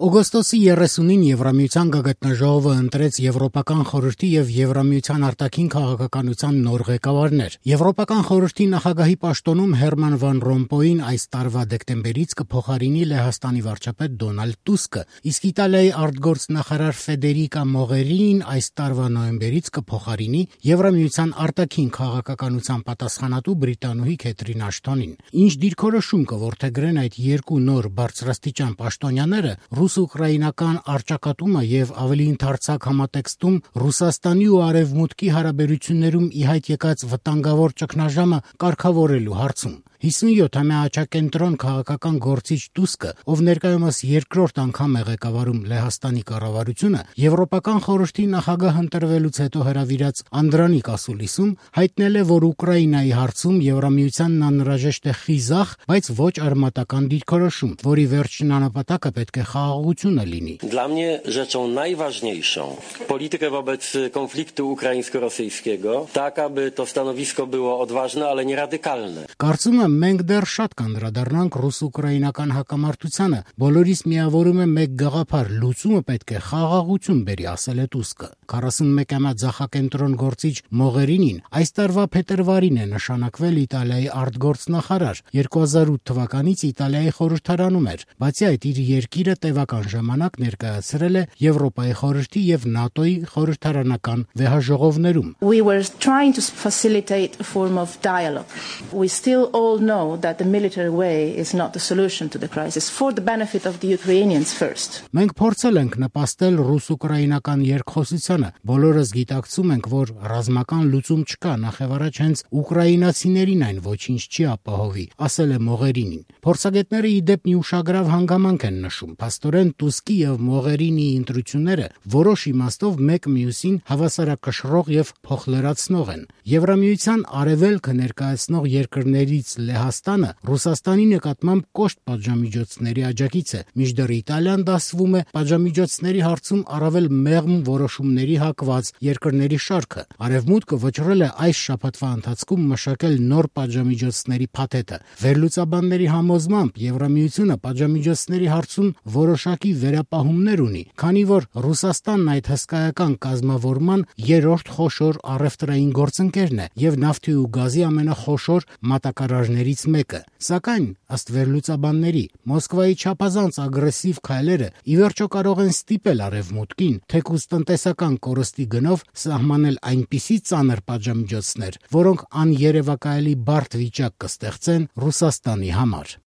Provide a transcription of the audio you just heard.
Օգոստոսի 30-ին Եվրամիության գագաթնաժողովը ընտրեց Եվրոպական խորհրդի եւ Եվրամիության արտաքին քաղաքականության նոր ղեկավարներ։ Եվրոպական խորհրդի նախագահի պաշտոնում Հերման վան Ռոմպոյին այս տարվա դեկտեմբերից կփոխարինի Լեհաստանի վարչապետ Դոնալդ Տուսկը, իսկ Իտալիայի արտգործնախարար Ֆեդերիկա Մողերինին այս տարվա նոյեմբերից կփոխարինի Եվրամիության արտաքին քաղաքականության պատասխանատու բրիտանուհի Քեթրին Աշթոնին։ Ինչ դիրքորոշում կորդեգրեն այդ երկու նոր բարձրաստիճան պաշտոնյաները, ռուս-ուկրաինական առճակատումը եւ ավելի ընդարձակ համատեքստում Ռուսաստանի ու Արևմուտքի հարաբերություններում ի հայտ եկած վտանգավոր ճգնաժամը կարգավորելու հարցում։ 57-ամյա աչակենտրոն քաղաքական գործիչ Տուսկը, ով ներկայումս երկրորդ անգամ է ղեկավարում Լեհաստանի կառավարությունը, Եվրոպական խորհրդի նախագահ ընտրվելուց հետո հրավիրած Անդրանիկ Ասուլիսում հայտնել է, որ Ուկրաինայի հարցում Եվրամիությանն անհրաժեշտ է խիզախ, բայց ոչ արմատական դիրքորոշում, որի վերջնանապատակը պետք է խաղաղությունը լինի։ Dla mnie rzeczą najważniejszą politykę wobec konfliktu ukraińsko-rosyjskiego, tak aby to stanowisko było odważne, ale nie radykalne. Կարծում եմ, մենք դեռ շատ կանդրադառնանք ռուս-ուկրաինական հակամարտությանը, բոլորիս միավորում է մեկ գաղափար՝ լուծումը պետք է խաղաղություն բերի, ասել է Տուսկը։ 41-ամյա ձախակենտրոն գործիչ Մողերինին այս տարվա փետրվարին է նշանակվել Իտալիայի արտգործնախարար, 2008 թվականից Իտալիայի խորհրդարանում էր, բացի այդ իր երկիրը տևական ժամանակ ներկայացրել է Եվրոպայի խորհրդի եւ ՆԱՏՕ-ի խորհրդարանական վեհաժողովներում։ We were trying to facilitate a form of dialogue. We still all know that the military way is not the solution to the crisis, for the benefit of the Ukrainians first. Մենք փորձել ենք նպաստել ռուս-ուկրաինական երկխոսությանը, բոլորս գիտակցում ենք, որ ռազմական լուծում չկա, նախևառաջ հենց ուկրաինացիներին այն ոչինչ չի ապահովի, ասել է Մողերինին։ Փորձագետները ի դեպ մի ուշագրավ հանգամանք են նշում, փաստորեն Տուսկի եւ Մողերինիի ընտրությունները որոշ իմաստով մեկ մյուսին հավասարակշռող եւ փոխլրացնող են։ Եվրամիության արևելքը ներկայացնող երկրներից Լեհաստանը Ռուսաստանի նկատմամբ կոշտ պատժամիջոցների աջակից է, մինչդեռ Իտալիան դասվում է պատժամիջոցների հարցում առավել մեղմ որոշումների հակված երկրների շարքը։ Արևմուտքը վճռել է այս շաբաթվա ընթացքում մշակել նոր պատժամիջոցների փաթեթը։ Վերլուծաբանների համոզմամբ Եվրամիությունը պատժամիջոցների հարցում որոշակի վերապահումներ ունի, քանի որ Ռուսաստանն այդ հսկայական կազմավորման երրորդ խոշոր առևտրային գործընկերն է եւ նավթի ու գազի ամենախոշոր մատակարարներից մեկը։ Սակայն, ըստ վերլուծաբանների, Մոսկվայի չափազանց ագրեսիվ քայլերը ի վերջո կարող են ստիպել Արևմուտքին, թեկուզ տնտեսական կորստի գնով սահմանել այնպիսի ծանր պատժամիջոցներ, որոնք աներևակայելի բարդ վիճակ կստեղծեն Ռուսաստանի համար։